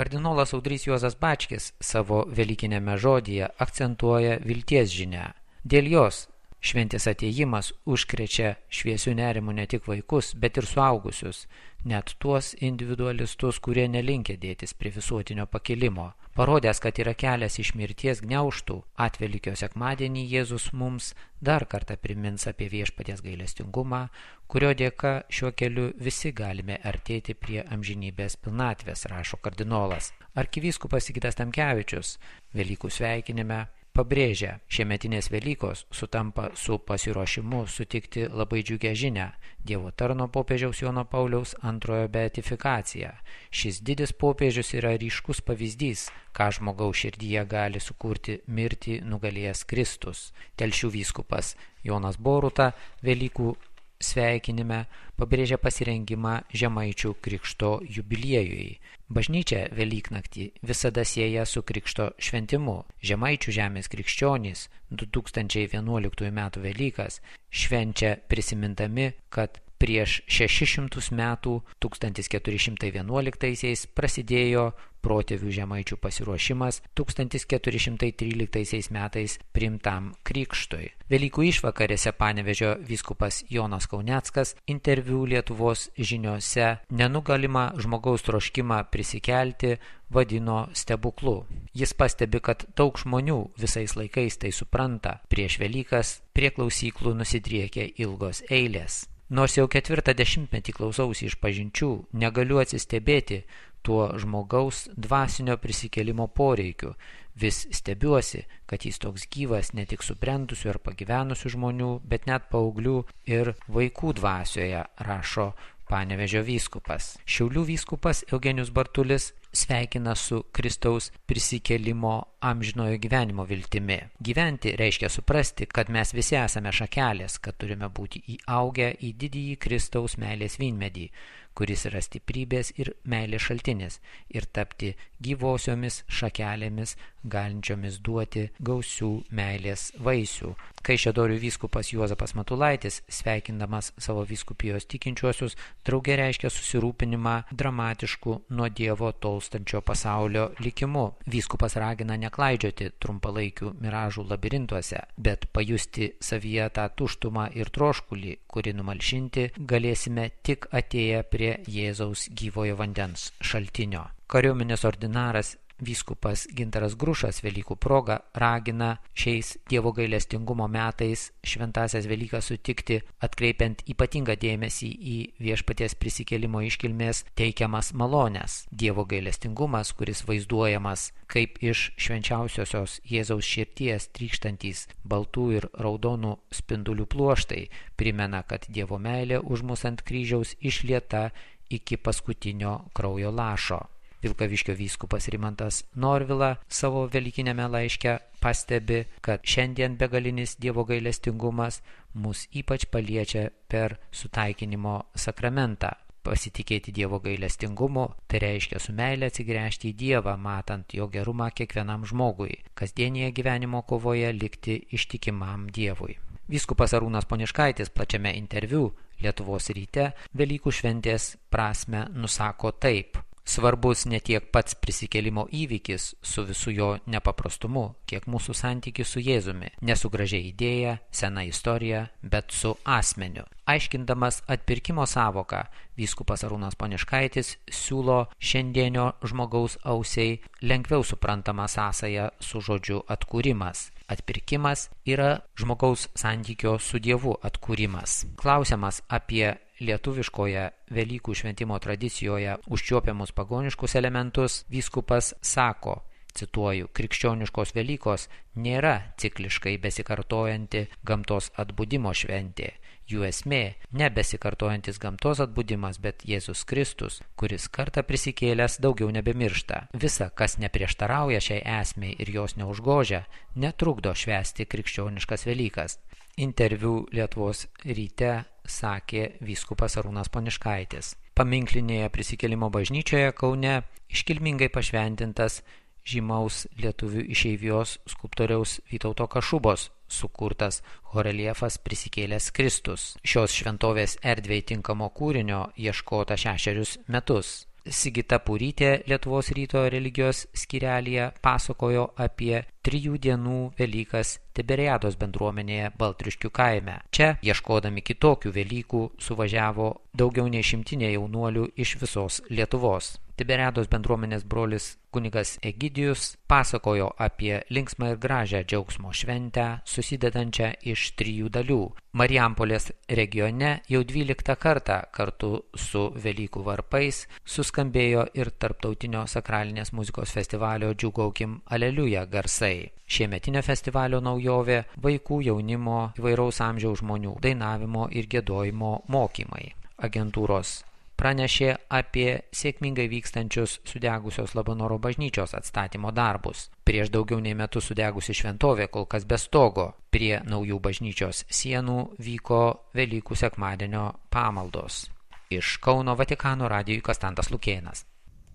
Kardinolas Audrys Juozas Bačkis savo velykinėme žodyje akcentuoja vilties žinią. Dėl jos šventės atėjimas užkrečia šviesių nerimų ne tik vaikus, bet ir suaugusius, net tuos individualistus, kurie nelinkę dėtis prie visuotinio pakilimo. Parodęs, kad yra kelias iš mirties gniaužtų, Atvelykio sekmadienį Jėzus mums dar kartą primins apie viešpaties gailestingumą, kurio dėka šiuo keliu visi galime artėti prie amžinybės pilnatvės, rašo kardinolas. Arkivyskupas Sigitas Tamkevičius Velykų sveikinime pabrėžia, šiemetinės Velykos sutampa su pasiruošimu sutikti labai džiugią žinią Dievo tarno popiežiaus Jono Pauliaus II beatifikaciją. Šis didis popiežius yra ryškus pavyzdys, ką žmogaus širdyje gali sukurti mirtį nugalėjęs Kristus. Telšių vyskupas Jonas Boruta Velykų sveikinime pabrėžia pasirengimą Žemaičių krikšto jubiliejui. Bažnyčia Velyknaktį visada sieja su krikšto šventimu. Žemaičių žemės krikščionys 2011 m. Velykas švenčia prisimindami, kad prieš 600 metų 1411 prasidėjo protėvių žemaičių pasiruošimas 1413 metais priimtam krikštui. Velykų išvakarėse Panevėžio vyskupas Jonas Kauneckas interviu Lietuvos žiniose nenugalimą žmogaus troškimą prisikelti vadino stebuklu. Jis pastebi, kad daug žmonių visais laikais tai supranta. Prieš Velykas prie klausyklų nusidriekia ilgos eilės. Nors jau 4 dešimtmetį klausausi išpažinčių, negaliu atsistebėti tuo žmogaus dvasinio prisikėlimo poreikiu. Vis stebiuosi, kad jis toks gyvas ne tik subrendusių ar pagyvenusių žmonių, bet net paauglių ir vaikų dvasioje, rašo Panevėžio vyskupas. Šiaulių vyskupas Eugenijus Bartulis sveikina su Kristaus prisikėlimo amžinojo gyvenimo viltimi. Gyventi reiškia suprasti, kad mes visi esame šakelės, kad turime būti įaugę į didįjį Kristaus meilės vynmedį, kuris yra stiprybės ir meilės šaltinis, ir tapti gyvosiomis šakelėmis, galinčiomis duoti gausių meilės vaisių. Kaišiadorių vyskupas Juozapas Matulaitis, sveikindamas savo vyskupijos tikinčiuosius, drauge reiškia susirūpinimą dramatišku nuo Dievo tolstančio pasaulio likimu. Vyskupas ragina neklaidžioti trumpalaikių miražų labirintuose, bet pajusti savyje tą tuštumą ir troškulį, kurį numalšinti galėsime tik atėję prie Jėzaus gyvojo vandens šaltinio. Kariuomenės ordinaras vyskupas Gintaras Grušas Velykų proga ragina šiais Dievo gailestingumo metais šventąsias Velykas sutikti, atkreipiant ypatingą dėmesį į viešpaties prisikėlimo iškilmės teikiamas malones. Dievo gailestingumas, kuris vaizduojamas kaip iš švenčiausiosios Jėzaus širdies trykštantys baltų ir raudonų spindulių pluoštai, primena, kad Dievo meilė už mus ant kryžiaus išlieta iki paskutinio kraujo lašo. Vilkaviškio vyskupas Rimantas Norvila savo velykinėme laiške pastebi, kad šiandien begalinis Dievo gailestingumas mus ypač paliečia per sutaikinimo sakramentą. Pasitikėti Dievo gailestingumu, tai reiškia su meile atsigręžti į Dievą, matant jo gerumą kiekvienam žmogui, kasdienėje gyvenimo kovoje likti ištikimam Dievui. Vyskupas Arūnas Poniškaitis plačiame interviu Lietuvos ryte Velykų šventės prasme nusako taip. Svarbus ne tiek pats prisikėlimo įvykis su visu jo nepaprastumu, kiek mūsų santykis su Jėzumi, ne su gražia idėja, sena istorija, bet su asmeniu. Aiškindamas atpirkimo savoką, vyskupas Arūnas Poniškaitis siūlo šiandienio žmogaus ausiai lengviau suprantamą sąsają su žodžiu atkūrimas. Atpirkimas yra žmogaus santykio su Dievu atkūrimas. Klausiamas apie lietuviškoje Velykų šventimo tradicijoje užčiuopiamus pagoniškus elementus, vyskupas sako, cituoju, krikščioniškos Velykos nėra cikliškai besikartojanti gamtos atbudimo šventė. Jų esmė ne besikartojantis gamtos atbudimas, bet Jėzus Kristus, kuris kartą prisikėlęs daugiau nebemiršta. Visa, kas neprieštarauja šiai esmei ir jos neužgožia, netrukdo švęsti krikščioniškas Velykas. Interviu Lietuvos ryte sakė vyskupas Arūnas Poniškaitis. Paminklinėje prisikėlimo bažnyčioje Kaune iškilmingai pašventintas žymaus lietuvių išeivijos skulptoriaus Vytauto Kašubos sukurtas horeliefas Prisikėlęs Kristus. Šios šventovės erdvei tinkamo kūrinio ieškota 6 metus. Sigita Purytė Lietuvos ryto religijos skyrelyje pasakojo apie 3 dienų Velykas Tiberiados bendruomenėje Baltriškių kaime. Čia, ieškodami kitokių Velykų, suvažiavo daugiau nei 100 jaunuolių iš visos Lietuvos. Tiberiados bendruomenės brolis kunigas Egidijus pasakojo apie linksmą ir gražią džiaugsmo šventę, susidedančią iš 3 dalių. Marijampolės regione jau 12 kartą kartu su Velykų varpais suskambėjo ir tarptautinio sakralinės muzikos festivalio Džiūgaukim Aleliuja garsai. Šiemetinio festivalio naujovė – vaikų, jaunimo, įvairaus amžiaus žmonių dainavimo ir giedojimo mokymai. Agentūros pranešė apie sėkmingai vykstančius sudegusios Labanoro bažnyčios atstatymo darbus. Prieš daugiau nei metus sudegusi šventovė kol kas be stogo. Prie naujų bažnyčios sienų vyko Velykų sekmadienio pamaldos. Iš Kauno Vatikano radijui Konstantas Lukėnas.